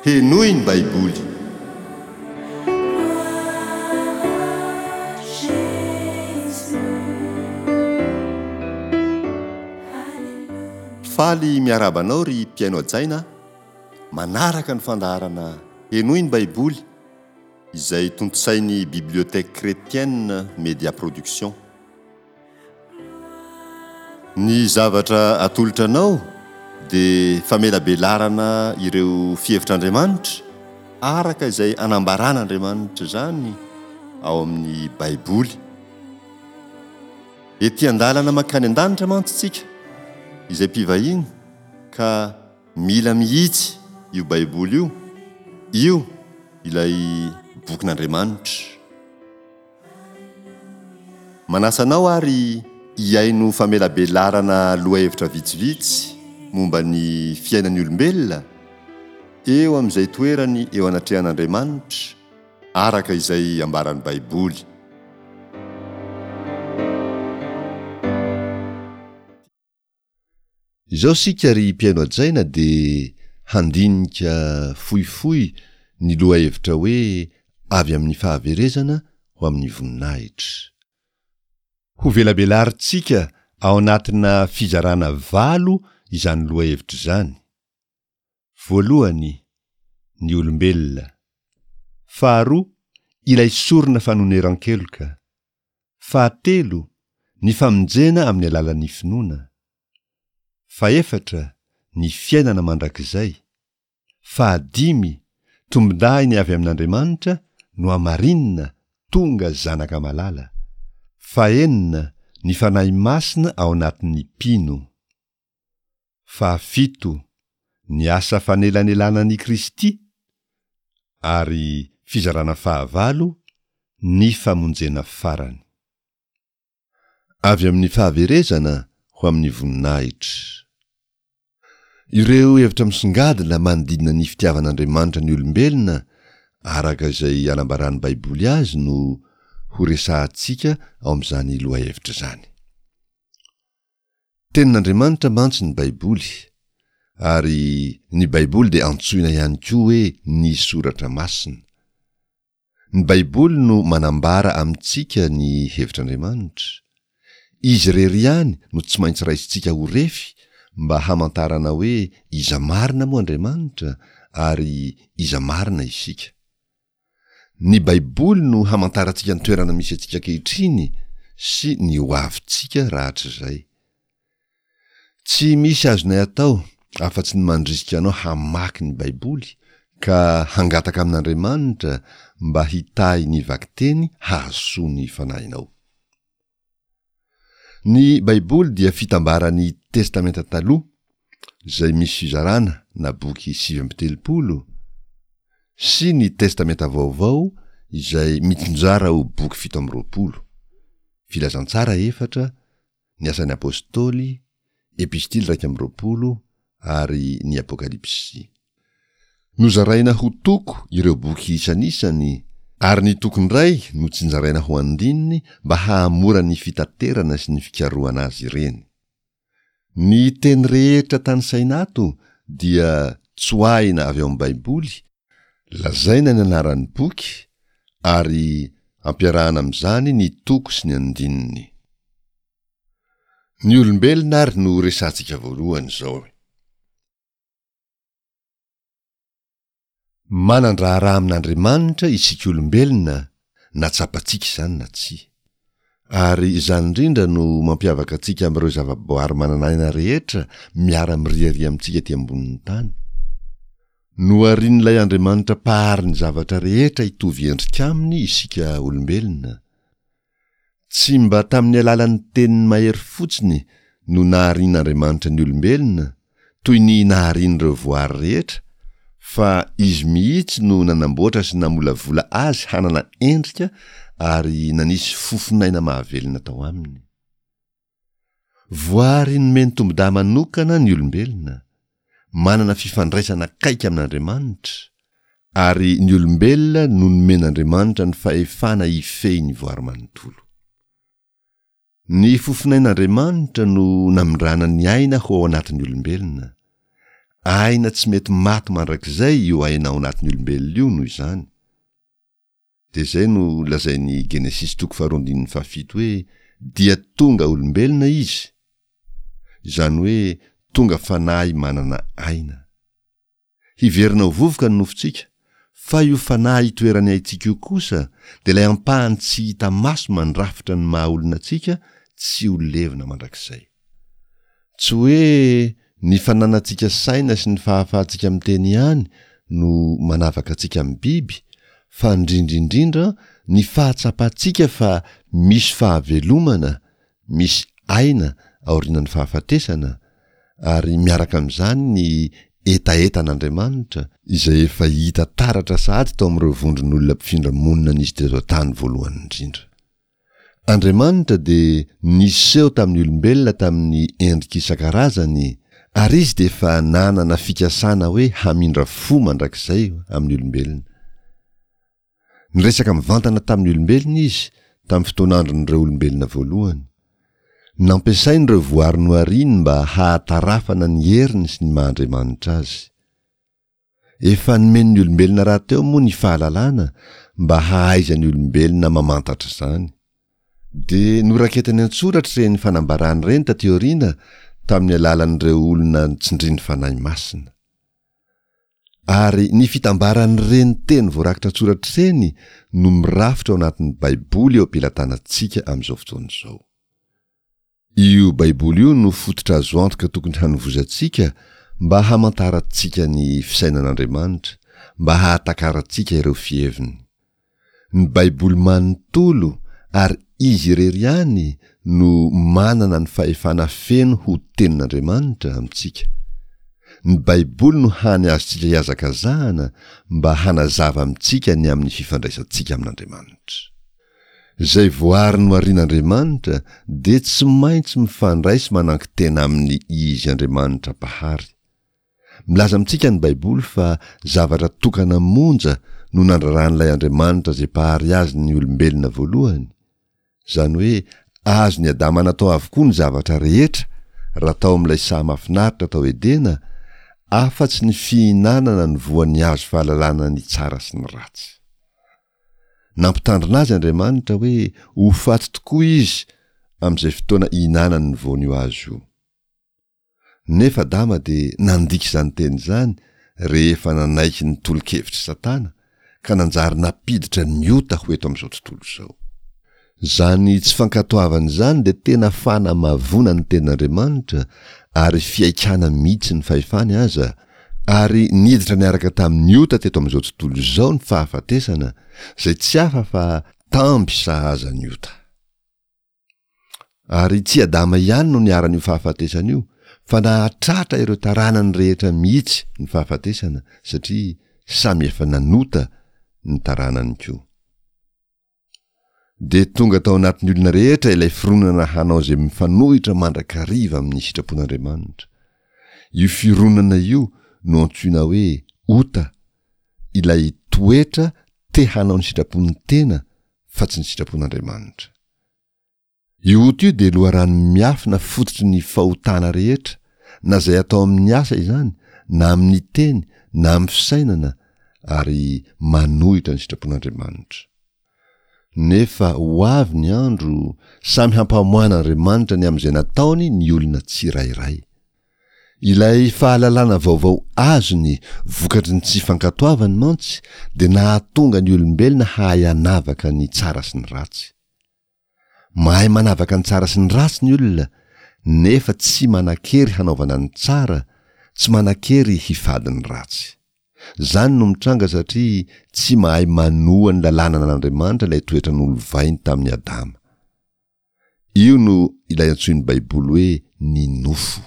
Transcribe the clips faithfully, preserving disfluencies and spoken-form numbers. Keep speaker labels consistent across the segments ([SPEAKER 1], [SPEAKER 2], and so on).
[SPEAKER 1] Henoy ny Baiboly. Faly miarahaba anao ry mpihaino hajaina manaraka ny fandaharana Henoy ny Baiboly izay tontosain'ny Bibliothèque Chrétienne Média Production. Ny zavatra atolotra anao dia famelabelarana ireo fihevitr'Andriamanitra araka izay anambaran'Andriamanitra izany ao amin'ny Baiboly. Ety an-dalana mankany an-danitra mantsy isika izay mpivahiny ka mila mihitsy io Baiboly io, io ilay bokin'Andriamanitra. Manasa anao ary hihaino famelabelarana lohahevitra vitsivitsy momba ny fiainan'ny olombelona eo amin'izay toerany eo anatrehan'Andriamanitra araka izay ambaran'ny Baiboly.
[SPEAKER 2] Izao isika ry mpihaino hajaina dia handinika fohifohy ny lohahevitra hoe avy amin'ny fahaverezana ho amin'ny voninahitra. Hovelabelarintsika ao anatina fizarana valo izany lohahevitra izany. Voalohany, ny olombelona. Faharoa, ilay sorona fanoneran-keloka. Fahatelo, ny famonjena amin'ny alalan'ny finoana. Fahefatra, ny fiainana mandrakizay. Fahadimy, tombondahiny avy amin'Andriamanitra nohamarinina tonga zanaka malala. Fahenina, ny Fanahy Masina ao anatin'ny mpino. Fahafito, ny asa fanelanelanan'i Kristy. Ary fizarana fahavalo, ny famonjena farany. Avy amin'ny fahaverezana ho amin'ny voninahitra. Ireo hevitra misongadina manodidina ny fitiavan'Andriamanitra ny olombelona araka izay anambaran'ny Baiboly azy no horesahantsika ao amin'izany lohahevitra izany. Tenin'Andriamanitra mantsy ny Baiboly, ary ny Baiboly dia antsoina ihany koa hoe ny Soratra Masina. Ny Baiboly no manambara amintsika ny hevitr'Andriamanitra. Izy irery ihany no tsy maintsy raisintsika ho refy mba hamantarana hoe iza marina moa Andriamanitra ary iza marina isika. Ny Baiboly no hamantarantsika ny toerana misy antsika ankehitriny sy ny hoavintsika rahatrizay. Tsy misy azonay atao afa-tsy ny mandrisika anao hamaky ny Baiboly ka hangataka amin'Andriamanitra mba hitahy ny vakiteny hahasoa ny fanahinao. Ny Baiboly dia fitambaran'ny Testamenta Taloha, izay misy fizarana na boky sivy amby telopolo, sy ny Testamenta Vaovao izay mitsinjara ho boky fito amby roapolo, Filazantsara efatra, ny Asan'ny Apostoly, Epistily iraika amby roapolo ary ny Apokalypsy. Nozaraina ho toko ireo boky isanisany, ary ny toko indray notsinjaraina ho andininy mba hahamora ny fitaterana sy ny fikarohana azy ireny. Ny teny rehetra tanisaina ato dia tsoahina avy ao amin'ny Baiboly, lazaina ny anaran'ny boky ary ampiarahana amin'izany ny toko sy ny andininy. Ny olombelona ary no resahantsika voalohany izao. Manan-draharaha amin'Andriamanitra isika olombelona na tsapantsika izany na tsia. Ary izany indrindra no mampiavaka antsika amin'ireo zavaboary manana aina rehetra miara-miriaria amintsika ety ambonin'ny tany. Noharin'ilay Andriamanitra Mpahary ny zavatra rehetra hitovy endrika aminy isika olombelona. Tsy mba tamin'ny alalan'ny teniny mahery fotsiny no naharian'Andriamanitra ny olombelona, toy ny naharian'ireo voary rehetra, fa Izy mihitsy no nanamboatra sy namolavola azy hanana endrika ary nanisy fofon'aina mahavelona tao aminy. Voary nomeny tombon-dahy manokana ny olombelona, manana fifandraisana akaiky amin'Andriamanitra, ary ny olombelona no nomen'Andriamanitra ny fahefana hifehy ny voary manontolo. Ny fofonain'Andriamanitra no namindrana ny aina ho ao anatin'ny olombelona, Aina tsy mety maty mandrakizay io aina ao anatin'ny olombelona io noho izany. Dia izay no lazain'ny Genesisy toko faharoa andininy fahafito hoe dia tonga olombelona izy, izany hoe tonga fanahy manana aina. Hiverina ho vovoka ny nofontsika, fa io fanahy itoeran'ny aintsika io kosa dia ilay ampahany tsy hita maso mandrafitra ny maha olona antsika tsy ho levona mandrakizay. Tsy hoe ny fananantsika saina sy ny fahafahantsika miteny ihany no manavaka antsika amin'ny biby fa indrindra indrindra ny fahatsapantsika fa misy fahavelomana, misy aina aorianan'ny fahafatesana ary miaraka amin'izany ny hetahetan'Andriamanitra izay efa hita taratra sahady tao amin'ireo vondron'olona mpifindra monina nisy teto an-tany voalohany indrindra. Andriamanitra dia niseho tamin'ny olombelona tamin'ny endrika isan-karazany, ary Izy dia efa nanana fikasana hoe hamindra fo mandrakizay amin'ny olombelona. Niresaka mivantana tamin'ny olombelona Izy tamin'ny fotoan'andron'ireo olombelona voalohany. Nampiasainy ireo voary nohariny mba hahatarafana ny heriny sy ny maha-Andriamanitra Azy. Efa nomeny ny olombelona rahateo moa ny fahalalana mba hahaizan'ny olombelona mamantatra izany. Dia noraketiny an-tsoratra ireny fanambarana ireny taty aoriana tamin'ny alalan'ireo olona tsindrin'ny Fanahy Masina. Ary ny fitambaran'ireny teny voarakitra an-tsoratra ireny no mirafitra ao anatin'ny Baiboly eo am-pelatanantsika amin'izao fotoana izao. Io Baiboly io no fototra azo antoka tokony hanovozantsika mba hamantarantsika ny fisainan'Andriamanitra, mba hahatakarantsika ireo fiheviny. Ny Baiboly manontolo ary izy irery ihany no manana ny fahefana feno ho Tenin'Andriamanitra amintsika. Ny Baiboly no hany azontsika ihazakazahana mba hanazava amintsika ny amin'ny fifandraisantsika amin'Andriamanitra. Izay voary noharian'Andriamanitra dia tsy maintsy mifandray sy manankin-tena aminy Izy Andriamanitra Mpahary. Milaza amintsika ny Baiboly fa zavatra tokana monja no nandraran'ilay Andriamanitra izay Mpahary azy ny olombelona voalohany, izany hoe azon'i Adama natao avokoa ny zavatra rehetra raha tao amin'ilay saha mahafinaritra tao Edena, afa-tsy ny fihinanana ny voan'ny hazo fahalalana ny tsara sy ny ratsy. Nampitandrina azy Andriamanitra hoe ho faty tokoa izy amin'izay fotoana ihinanany ny voan'io hazo io. Nefa Adama dia nandika izany teny izany rehefa nanaiky ny tolo-kevitr'i Satana ka nanjary nampiditra ny ota ho eto amin'izao tontolo izao. Izany tsy fankatoavana izany dia tena fanamavoana ny tenin'Andriamanitra ary fihaikana mihitsy ny fahefany aza, ary niditra niaraka tamin'ny ota teto amin'izao tontolo izao ny fahafatesana, izay tsy hafa fa tamby sahaza ny ota. Ary tsy Adama ihany no niharan'io fahafatesana io, fa nahatratra ireo taranany rehetra mihitsy ny fahafatesana, satria samy efa nanota ny taranany koa. Dia tonga tao anatin'ny olona rehetra ilay fironana hanao izay mifanohitra mandrakariva amin'ny sitrapon'Andriamanitra. Io fironana io no antsoina hoe ota, ilay toetra te hanao ny sitrapon'ny tena fa tsy ny sitrapon'Andriamanitra. Io ota io dia loharano miafina fototry ny fahotana rehetra, na izay atao amin'ny asa izany, na amin'ny teny, na amin'ny fisainana, ary manohitra ny sitrapon'Andriamanitra. Nefa ho avy ny andro, samy hampamoahan'Andriamanitra ny amin'izay nataony ny olona tsirairay. Ilay fahalalana vaovao azony vokatry ny tsy fankatoavany mantsy dia nahatonga ny olombelona hahay hanavaka ny tsara sy ny ratsy. Mahay manavaka ny tsara sy ny ratsy ny olona, nefa tsy manan-kery hanaovana ny tsara, tsy manan-kery hifady ny ratsy. Izany no mitranga satria tsy mahay manoa ny lalànan'Andriamanitra ilay toetra nolovainy tamin'i Adama. Io no ilay antsoin'ny Baiboly hoe ny nofo.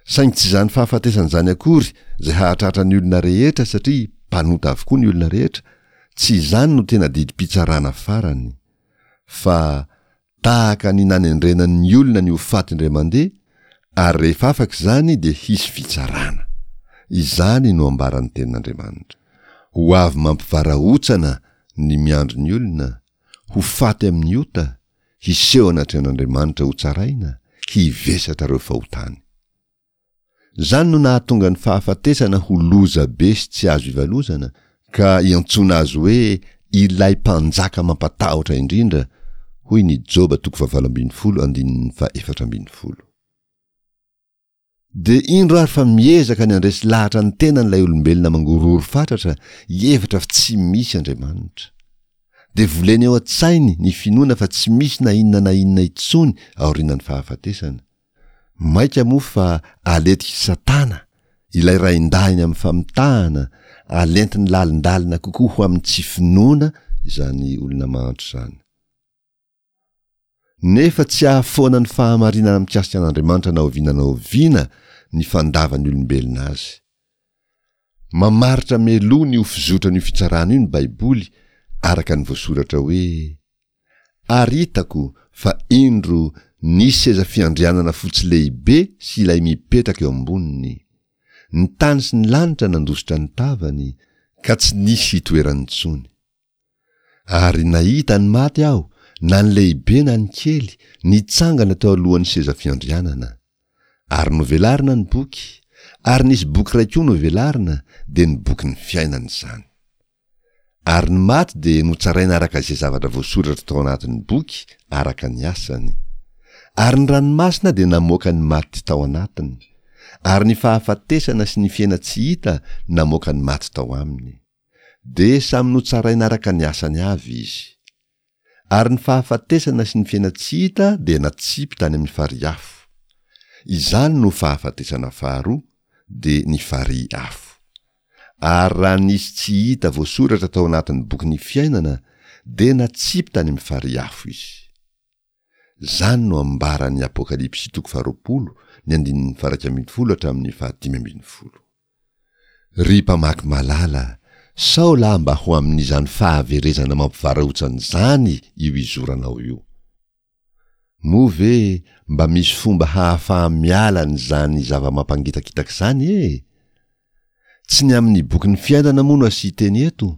[SPEAKER 2] Saingy tsy izany fahafatesana izany akory izay hahatratra ny olona rehetra satria mpanota avokoa ny olona rehetra, tsy izany no tena didim-pitsarana farany. Fa tahaka ny nanendrena ny olona ny ho faty indray mandeha, ary rehefa afaka izany dia hisy fitsarana. Izany no ambaran'ny tenin'Andriamanitra. Ho avy mampivarahontsana ny miandry ny olona, ho faty amin'ny ota, hiseho anatrehan'Andriamanitra hotsaraina, hivesatra ireo fahotany. Izany no nahatonga ny fahafatesana ho loza be sy tsy azo ivalozana, ka iantsoana azy hoe ilay mpanjaka mampatahotra indrindra, hoy ny Joba toko fahavalo ambin'ny folo andininy fahefatra ambin'ny folo. Dia indro ary fa miezaka ny handresy lahatra ny tenany ilay olombelona mangorohoro fatratra hihevitra fa tsy misy Andriamanitra. Dia voleny ao an-tsainy ny finoana fa tsy misy na inona na inona intsony aorianan'ny fahafatesana. Mainka moa fa aletik'i Satana, ilay raindahiny amin'ny famitahana, alentiny lalindalina kokoa ho amin'ny tsy finoana izany olona mahantra izany. Nefa tsy hahafoana ny fahamarinana mikasika an'Andriamanitra na oviana na oviana ny fandavan'ny olombelona azy. Mamaritra mialoha ny ho fizotran'io fitsarana io ny Baiboly araka ny voasoratra hoe, Ary hitako fa indro nisy seza fiandrianana fotsy lehibe sy ilay mipetraka eo amboniny. Ny tany sy ny lanitra nandositra ny tavany, ka tsy nisy hitoerany intsony. Ary nahita ny maty aho, na ny lehibe na ny kely, nitsangana teo alohan'ny seza fiandrianana. Ary novelarina ny boky, ary nisy boky iray koa novelarina, dia ny bokin'ny fiainana izany. Ary ny maty dia notsaraina araka izay zavatra voasoratra tao anatin'ny boky araka ny asany. Ary ny ranomasina dia namoaka ny maty tao anatiny, ary ny fahafatesana sy ny fiaina-tsy hita namoaka ny maty tao aminy. Dia samy notsaraina araka ny asany avy izy. Ary ny fahafatesana sy ny fiaina-tsy hita dia natsipy tany amin'ny farihy afo. Izany no fahafatesana faharoa, dia ny farihy afo. Ary raha nisy tsy hita voasoratra tao anatin'ny bokin'ny fiainana, dia natsipy tany amin'ny farihy afo izy. Izany no ambaran'ny Apokalypsy toko faharoapolo, ny andininy faha-iraika ambin'ny folo hatramin'ny fahadimy ambin'ny folo. Ry mpamaky malala, sao lahy mba ho amin'izany fahaverezana mampivarahontsana izany io izoranao io. Moa ve mba misy fomba hahafaha-miala an'izany zava-mampangitakitaka izany e? Tsy ny amin'ny bokin'ny fiainana moa no asian-teny eto,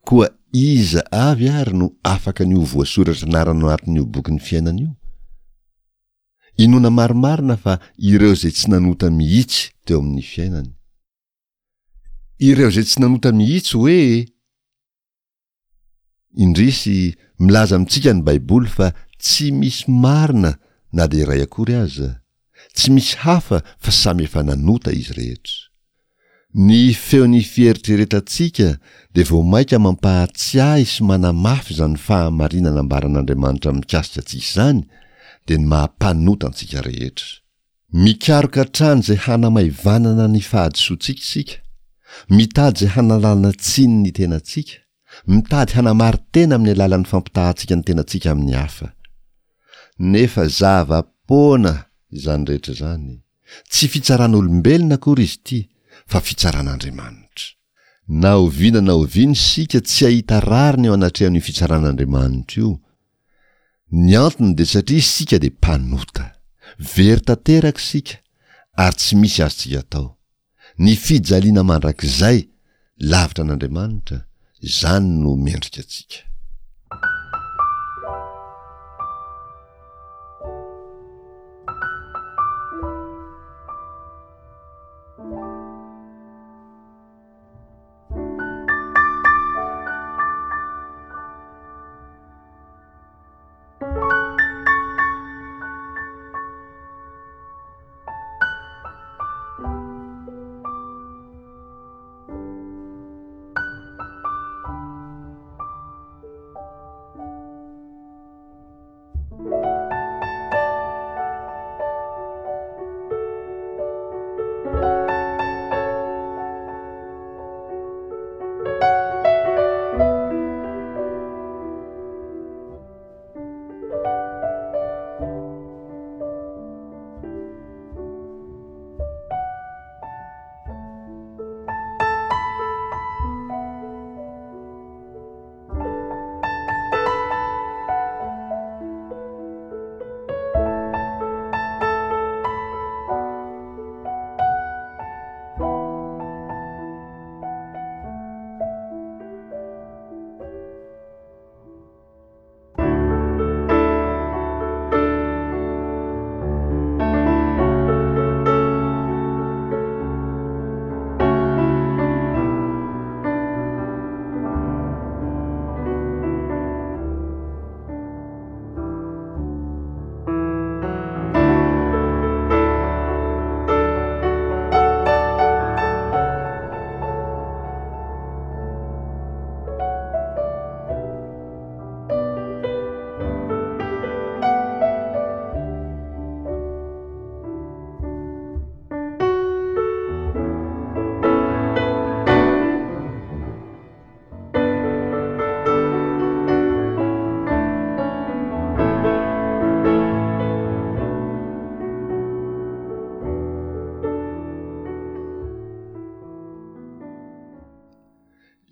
[SPEAKER 2] koa iza avy ary no afaka ny ho voasoratra anarana ao anatin'io bokin'ny fiainana io? Inoana marimarina fa ireo izay tsy nanota mihitsy teo amin'ny fiainany. Ireo izay tsy nanota mihitsy hoe? Indrisy, milaza amintsika ny Baiboly fa tsy misy marina na dia iray akory aza. Tsy misy hafa fa samy efa nanota izy rehetra. Ny feon'ny fieritreretantsika dia vao mainka mampahatsiahy sy manamafy izany fahamarinana ambaran'Andriamanitra mikasika antsika izany, dia ny maha mpanota antsika rehetra. Mikaroka hatrany izay hanamaivanana ny fahadisoantsika isika, mitady izay hanalana tsiny ny tenantsika, mitady hanamari-tena amin'ny alalan'ny fampitahantsika ny tenantsika amin'ny hafa. Nefa zava-poana izany rehetra izany. Tsy fitsaran'olombelona akory izy ity fa fitsaran'Andriamanitra. Na oviana na oviana isika tsy hahita rariny eo anatrehan'io fitsaran'Andriamanitra io. Ny antony dia satria isika dia mpanota. Very tanteraka isika ary tsy misy azontsika atao. Ny fijaliana mandrakizay lavitra an'Andriamanitra, izany no mendrika antsika.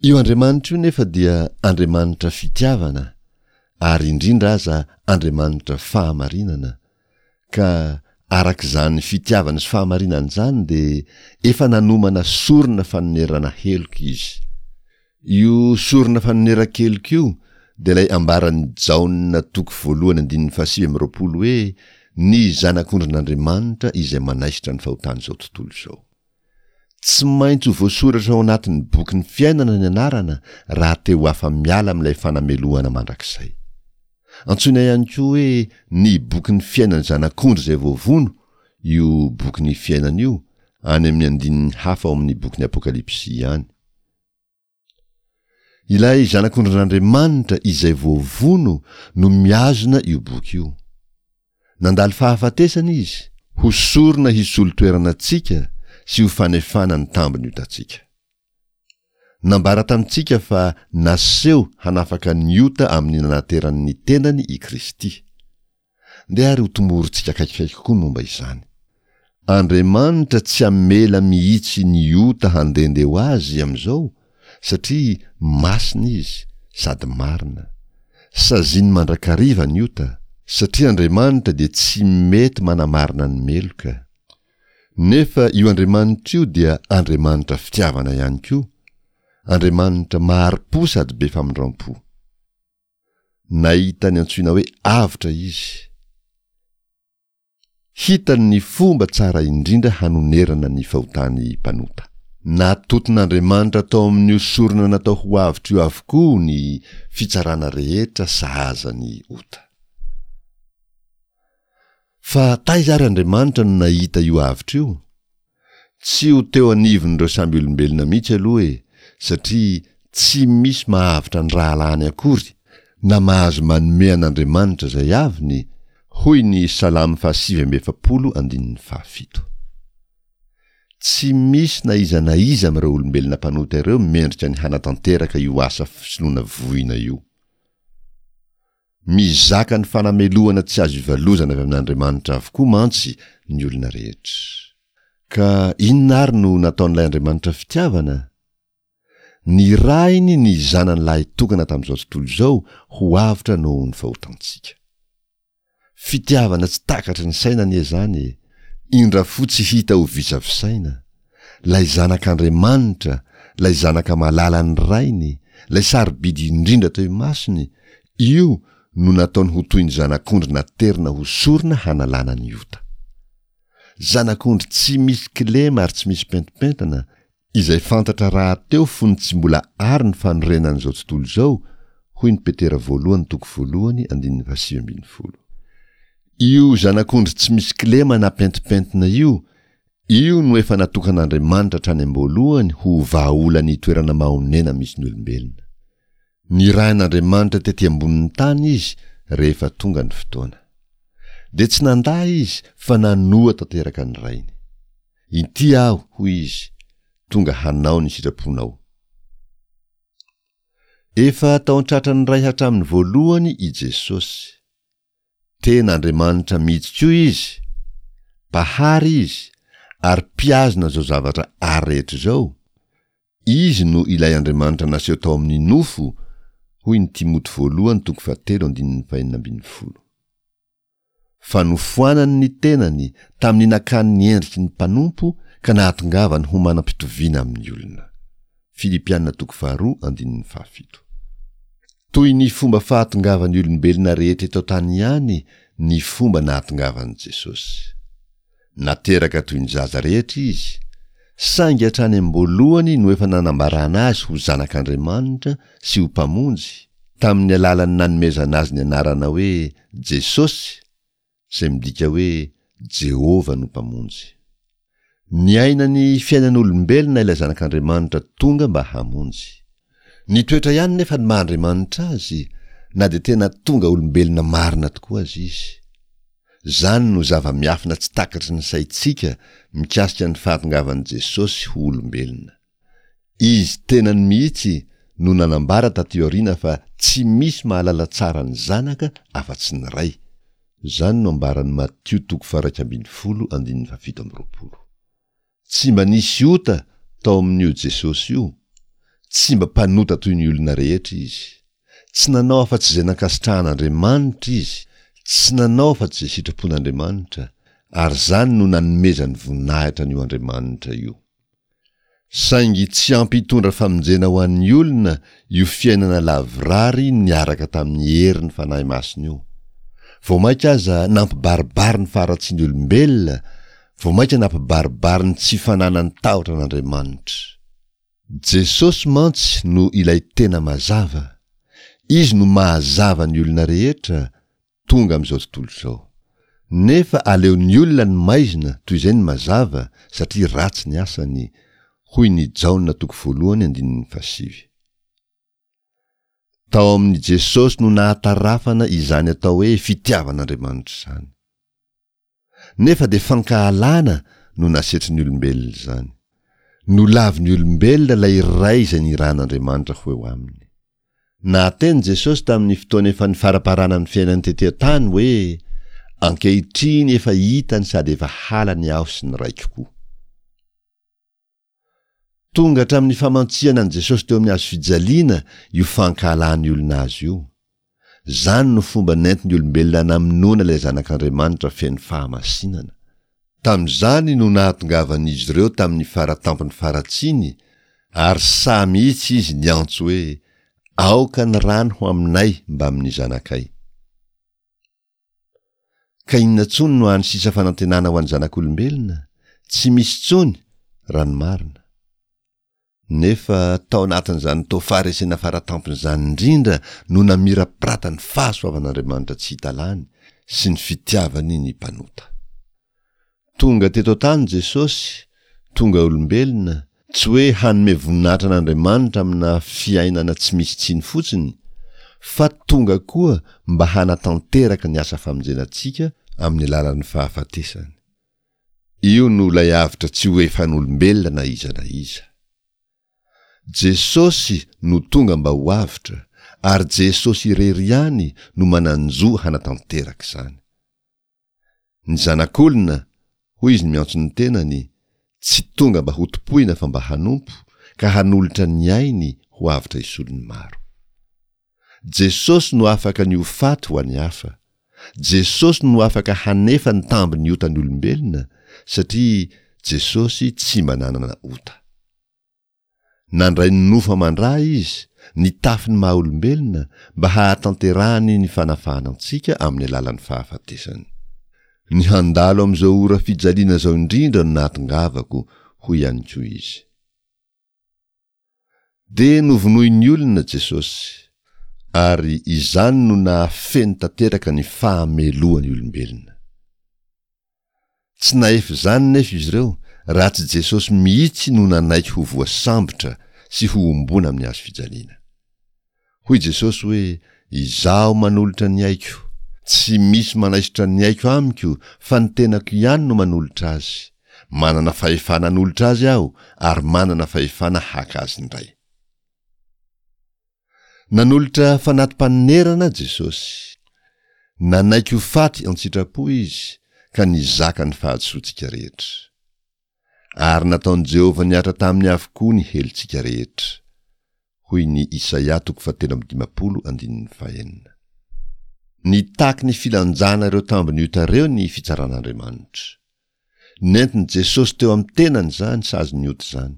[SPEAKER 2] Io Andriamanitra io nefa dia Andriamanitra fitiavana ary indrindra aza Andriamanitra fahamarinana, ka araka izany fitiavana sy fahamarinana izany dia efa nanomana sorona fanonerana heloka Izy. Io sorona fanoneran-keloka io dia ilay ambaran'i Jaona toko voalohany andininy fahasivy amby roapolo hoe ny Zanak'ondrin'Andriamanitra izay manaisotra ny fahotan'izao tontolo izao. Tsy maintsy ho voasoratra ao anatin'ny bokin'ny fiainana ny anarana raha te ho afa-miala amin'ilay fanamelohana mandrakizay. Antsoina ihany koa hoe ny bokin'ny fiainan'ny Zanak'ondry izay voavono io bokin'ny fiainana io, any amin'ny andininy hafa ao amin'ny bokin'ny Apokalypsy ihany. Ilay Zanak'ondrin'Andriamanitra izay voavono no mihazona io boky io. Nandalo fahafatesana izy, ho sorona hisolo toerana antsika sy ho fanefana ny tambin'ny otantsika. Nambara tamintsika fa naseho hanafaka ny ota amin'ny nanaterany ny tenany i Kristy. Ndeha ary ho tomorintsika akaikikaiky kokoa ny momba izany. Andriamanitra tsy hamela mihitsy ny ota handehandeha ho azy amin'izao satria masina izy sady marina. Saziany mandrakariva ny ota satria Andriamanitra dia tsy mety manamarina ny meloka. Nefa io Andriamanitra io dia Andriamanitra fitiavana ihany koa, Andriamanitra mahari-po sady be famindram-po. Nahita ny antsoina hoe avotra izy. Hitany ny fomba tsara indrindra hanonerana ny fahotan'ny mpanota. Natoton'Andriamanitra tao amin'io sorona natao ho avotra io avokoa ny fitsarana rehetra sahaza ny ota. Fa taiza ary Andriamanitra no nahita io avotra io? Tsy ho teo anivon'ireo samby olombelona mihitsy aloha e, satria tsy misy mahavotra ny rahalahiny akory, na mahazo manome an'Andriamanitra izay aviny, hoy ny Salamo fahasivy amby efapolo andininy fahafito. Tsy misy na iza na iza amin'ireo olombelona mpanota ireo mendrika ny hanatanteraka io asa fisoloana voina io. Mizaka ny fanamelohana tsy azo ivalozana avy amin'Andriamanitra avokoa mantsy ny olona rehetra. Ka inona ary no nataon'ilay Andriamanitra fitiavana? Nirahiny ny Zanany lahitokana tamin'izao tontolo izao ho avotra noho ny fahotantsika. Fitiavana tsy takatry ny saina anie izany e! Indra fo tsy hita ho visavisaina. Ilay Zanak'Andriamanitra, ilay Zanaka malalan'ny Rainy, ilay sarobidy indrindra teo imasony, io no nataony ho toy ny zanak'ondry naterina ho sorona hanalana ny ota. Zanak'ondry tsy misy kilema ary tsy misy pentimpentina, izay fantatra rahateo fony tsy mbola àry ny fanorenan'izao tontolo izao, hoy ny Petera voalohany toko voalohany andininy fahasivy ambin'ny folo. Io zanak'ondry tsy misy kilema na pentimpentina io, io no efa natokan'Andriamanitra hatrany am-boalohany ho vahaolan'ny toerana mahonena misy ny olombelona. Nirahin'Andriamanitra tety ambonin'ny tany izy rehefa tonga ny fotoana. Dia tsy nandà izy fa nanoa tanteraka ny Rainy. Inty aho, hoy izy, tonga hanao ny sitraponao. Efa tao an-tratran'ny Ray hatramin'ny voalohany i Jesosy. Tena Andriamanitra mihitsy koa izy, Mpahary izy, ary mpihazona izao zavatra ary rehetra izao. Izy no ilay Andriamanitra naseho tao amin'ny nofo, hoy ny Timoty voalohany toko fahatelo andininy fahenina ambin'ny folo. Fa nofoanany ny tenany tamin'ny nakany ny endriky ny mpanompo ka nahatongavany ho manam-pitoviana amin'ny olona. Filipiana toko faharoa andininy fahafito. Toy ny fomba fahatongavan'ny olombelona rehetra eto an-tany ihany ny fomba nahatongavan'i Jesosy. Nateraka toy ny zaza rehetra izy, saingy hatrany am-boalohany no efa nanambarana azy ho Zanak'Andriamanitra sy ho Mpamonjy, tamin'ny alalan'ny nanomezana azy ny anarana hoe Jesosy, izay midika hoe Jehovah no Mpamonjy. Niaina ny fiainan'olombelona ilay Zanak'Andriamanitra tonga mba hamonjy. Nitoetra ihany nefa ny maha Andriamanitra azy, na dia tena tonga olombelona marina tokoa aza izy. Izany no zava-miafina tsy takatry ny saintsika mikasika ny fahatongavan'i Jesosy ho olombelona. Izy tenany mihitsy no nanambara taty aoriana fa tsy misy mahalala tsara ny Zanaka afa-tsy ny Ray. Izany no ambaran'i Matio toko faha-iraika ambin'ny folo andininy fahafito amby roapolo. Tsy mba nisy ota tao amin'io Jesosy io, Tsy mba mpanota toy ny olona rehetra izy. Tsy nanao afa-tsy izay nankasitrahan'Andriamanitra izy, tsy nanao afa-tsy izay sitrapon'Andriamanitra, ary izany no nanomezany voninahitra an'io Andriamanitra io. Saingy tsy ampy hitondra famonjena ho an'ny olona io fiainana lavorary niaraka tamin'ny herin'ny Fanahy Masina io. Vao mainka aza nampibaribary ny faharatsian'ny olombelona, vao mainka nampibaribary ny tsy fananany tahotra an'Andriamanitra. Jesosy mantsy no ilay tena mazava. Izy no mahazava ny olona rehetra, tonga amin'izao tontolo izao. Nefa aleon'ny olona ny maizina toy izay ny mazava satria ratsy ny asany, hoy ny Jaona toko voalohany andininy fahasivy. Tao amin'i Jesosy no nahatarafana izany atao hoe fitiavan'Andriamanitra izany. Nefa dia fankahalana no nasetrin'ny olombelona izany. Nolavin'ny olombelona ilay iray izay nirahan'Andriamanitra ho eo aminy. Nahateny Jesosy tamin'ny fotoana efa nifaraparana ny fiainany tety an-tany hoe, Ankehitriny efa hitany sady efa halany aho sy ny Raiko koa. Tonga hatramin'ny famantsihana an'i Jesosy teo amin'ny hazo fijaliana io fankahalan'ny olona azy io. Izany no fomba nentin'ny olombelona namonoana ilay Zanak'Andriamanitra feno fahamasinana. Tamin'izany no nahatongavan'izy ireo tamin'ny fara tampon'ny faharatsiany ary sahy mihitsy izy niantso hoe, Aoka ny rany ho aminay mbamin'ny zanakay. Ka inona intsony no hany sisa fanantenana ho an'ny zanak'olombelona? Tsy misy intsony, raha ny marina. Nefa tao anatin'izany toa faharesena faratampony izany indrindra no namirapiratan'ny fahasoavan'Andriamanitra tsy hita lany sy ny fitiavany ny mpanota. Tonga teto an-tany Jesosy, tonga olombelona, tsy hoe hanome voninahitra an'Andriamanitra amina fiainana tsy misy tsiny fotsiny, fa tonga koa mba hanatanteraka ny asa famonjena antsika amin'ny alalan'ny fahafatesany. Io no ilay avotra tsy ho efan'olombelona na iza na iza. Jesosy no tonga mba ho avotra, ary Jesosy irery ihany no manan-jo hanatanteraka izany. Ny Zanak'olona, hoy izy miantso ny tenany, tsy tonga mba hotompoina fa mba hanompo, ka hanolotra ny ainy ho avotra hisolo ny maro. Jesosy no afaka ny ho faty ho an'ny hafa. Jesosy no afaka hanefa ny tambin'ny otan'ny olombelona satria Jesosy tsy mba nanana ota. Nandray ny nofo aman-dra Izy, nitafy ny maha-olombelona mba hahatanterahany ny fanafahana antsika amin'ny alalan'ny fahafatesany. Ny handalo amin'izao ora fijaliana izao indrindra no nahatongavako, hoy ihany koa Izy. Dia novonoin'ny olona Jesosy, ary izany no nahafeno tanteraka ny fahamelohan'ny olombelona. Tsy nahefa izany nefa izy ireo raha tsy Jesosy mihitsy no nanaiky ho voasambotra sy hohomboana amin'ny hazo fijaliana. Hoy Jesosy hoe, Izaho manolotra ny aiko. Tsy misy manaisotra ny aiko amiko fa ny tenako ihany no manolotra azy. Manana fahefana hanolotra azy aho ary manana fahefana haka azy indray. Nanolotra fanati-panonerana Jesosy. Nanaiky ho faty an-tsitrapo izy ka nizaka ny fahadisoantsika rehetra. Ary nataon'i Jehovah nihatra taminy avokoa ny helotsika rehetra. Hoy ny Isaia toko fahatelo amby dimampolo andininy fahenina. Nitaky ny filanjana ireo tambin'ny ota ireo ny fitsaran'Andriamanitra. Nentin'i Jesosy teo amin'ny tenany izany sazin'ny ota izany.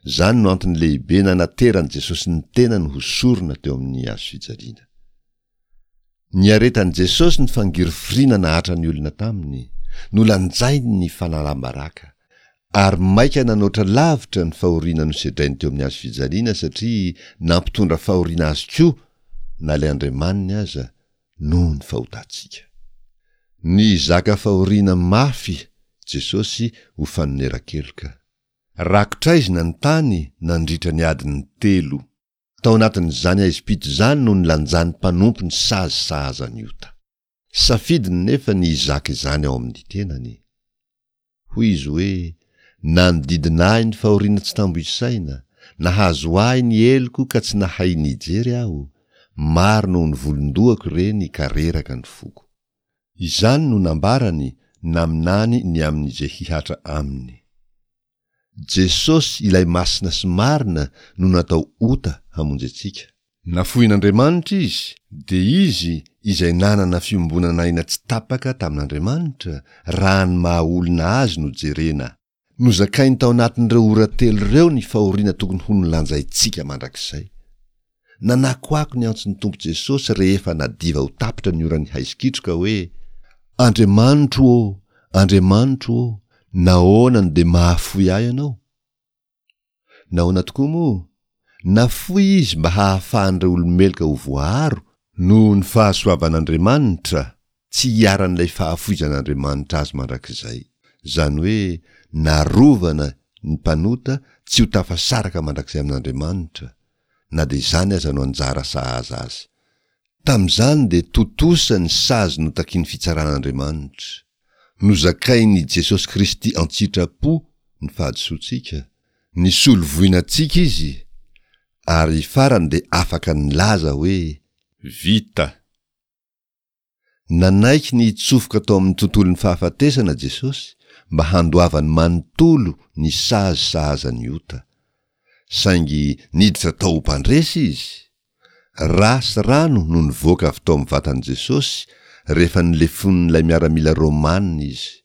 [SPEAKER 2] Izany no antony lehibe nanateran'i Jesosy ny tenany ho sorona teo amin'ny hazo fijaliana. Niaretan'i Jesosy ny fangirifiriana nahatran'ny olona taminy, nolanjainy ny fanalam-baraka, ary maika nanoatra lavitra ny fahoriana nosedrainy teo amin'ny hazo fijaliana satria nampitondra fahoriana azy koa na ilay Andriamaniny aza noho ny fahotantsika. Nizaka fahoriana mafy Jesosy ho fanoneran-keloka. Rakotr'aizina ny tany nandritra ny adiny telo. Tao anatin'izany haizim-pito izany no nilanjan'ny mpanompo ny sazy sahaza ny ota. Safidiny nefa ny hizaka izany ao amin'ny tenany. Hoy izy hoe, Nanodidina ahy ny fahoriana tsy tambo isaina, nahazo ahy ny heloko ka tsy nahay nijery aho, maro noho ny volon-dohako ireny ka reraka ny foko. Izany no nambarany naminany ny amin'izay hihatra aminy. Jesosy ilay masina sy marina no natao ota hamonjy antsika. Nafoin'Andriamanitra izy, dia izy izay nanana fiombonan'aina tsy tapaka tamin'Andriamanitra, raha ny maha olona azy no jerena. Nozakainy tao anatin'ireo ora telo ireo ny fahoriana tokony ho nolanjaintsika mandrakizay. Nanakoako ny antson'ny Tompo Jesosy rehefa nadiva ho tapitra ny oran'ny haizikitroka hoe, Andriamanitro ô, Andriamanitro ô, nahoana no dia mahafoy ahy Ianao? Nahoana tokoa moa? Nafoy Izy mba hahafahan'ireo olo-meloka ho voaaro noho ny fahasoavan'Andriamanitra, tsy hiharan'ilay fahafoizan'Andriamanitra azy mandrakizay. Izany hoe narovana ny mpanota tsy ho tafasaraka mandrakizay amin'Andriamanitra, na dia izany aza no anjara sahaza azy. Tamin'izany dia tontosa ny sazy notakian'ny fitsaran'Andriamanitra. Nozakain'i Jesosy Kristy an-tsitrapo ny fahadisoantsika, nisolo voina antsika Izy, ary farany dia afaka nilaza hoe, Vita! Nanaiky ny hitsofoka tao amin'ny tontolon'ny fahafatesana Jesosy mba handoavany manontolo ny sazy sahaza ny ota. Saingy niditra tao ho mpandresy Izy. Ra sy rano no nivoaka avy tao amin'ny vatan'i Jesosy rehefa nolefonin'ilay miaramila Romana Izy.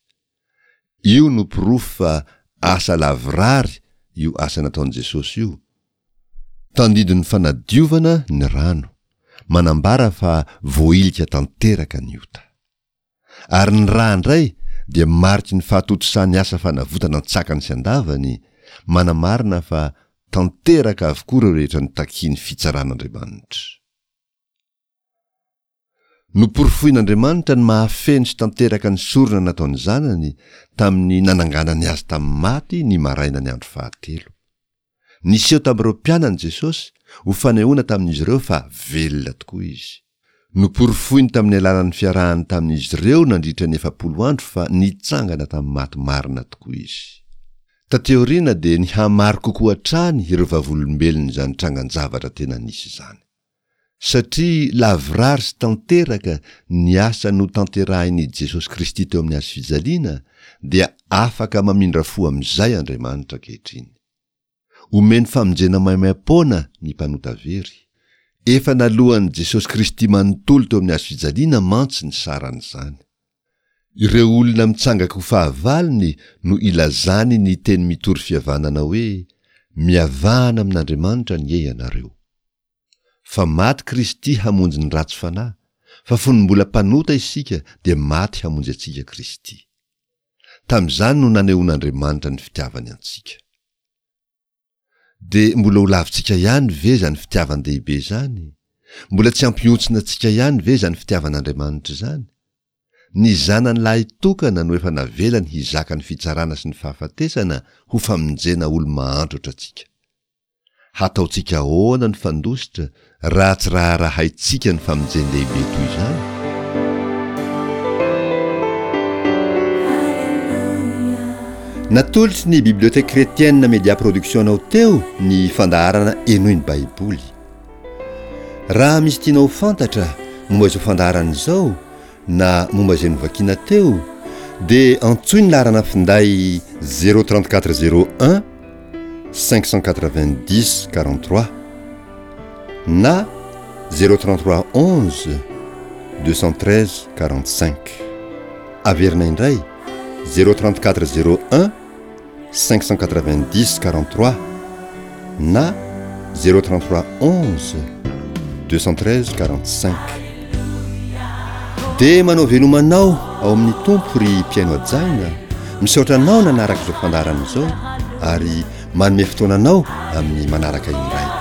[SPEAKER 2] Io no porofo fa asa lavorary io asa nataon'i Jesosy io. Tandindon'ny fanadiovana ny rano, manambara fa voahilika tanteraka ny ota. Ary ny ra indray dia mariky ny fahatontosan'ny asa fanavotana an-tsakany sy an-davany, manamarina fa tanteraka avokoa ireo rehetra notakian'ny fitsaran'Andriamanitra. Noporofoin'Andriamanitra ny mahafeno sy tanteraka ny sorona nataon'ny Zanany tamin'ny nananganany azy tamin'ny maty ny marainan'ny andro fahatelo. Niseho tamin'ireo mpianany Jesosy ho fanehoana tamin'izy ireo fa velona tokoa izy. Noporofoiny tamin'ny alalan'ny fiarahany tamin'izy ireo nandritra ny efapolo andro fa nitsangana tamin'ny maty marina tokoa izy. Taty aoriana dia nihamaro kokoa hatrany ireo vavolombelon'izany trangan-javatra tena nisy izany. Satria lavorary sy tanteraka ny asa notanterahin'i Jesosy Kristy teo amin'ny hazo fijaliana, dia afaka mamindra fo amin'izay Andriamanitra ankehitriny. Omeny famonjena maimaim-poana ny mpanota very. Efa naloan'i Jesosy Kristy manontolo teo amin'ny hazo fijaliana mantsy ny saran'izany. Ireo olona mitsangaka ho fahavalony no ilazany ny teny mitory fihavanana hoe, Mihavana amin'Andriamanitra anie ianareo. Fa maty Kristy hamonjy ny ratsy fanahy, fa fony mbola mpanota isika dia maty hamonjy antsika Kristy. Tamin'izany no nanehoan'Andriamanitra ny fitiavany antsika. Dia mbola ho lavintsika ihany ve izany fitiavan-dehibe izany? Mbola tsy hampihontsina antsika ihany ve izany fitiavan'Andriamanitra izany? Ny Zanany lahitokana no efa navelany hizaka ny fitsarana sy ny fahafatesana ho famonjena olo-mahantra ohatrantsika. Hataontsika ahoana ny fandositra raha tsy raharahaintsika ny famonjen-dehibe toy izany? Natolotry ny Bibliothèque Chrétienne Media Production anao teo ny fandaharana Henoy ny Baiboly. Raha misy tianao ho fantatra momba izao fandaharana izao na momba izay novakiana teo dia antsoy ny laharana finday zéro trente quatre zéro un cinq cent quatre-vingt-dix quarante-trois na zéro trente-trois onze deux cent treize quarante-cinq. Averina indray zéro trente-quatre zéro un cinq cent quatre-vingt-dix quarante-trois na zéro trente-trois onze deux cent treize quarante-cinq. Dia manao veloma anao ao amin'ny Tompo ry mpihaino hajaina, misaotra anao nanaraka izao fandaharana izao ary manome fotoana anao amin'ny manaraka indray.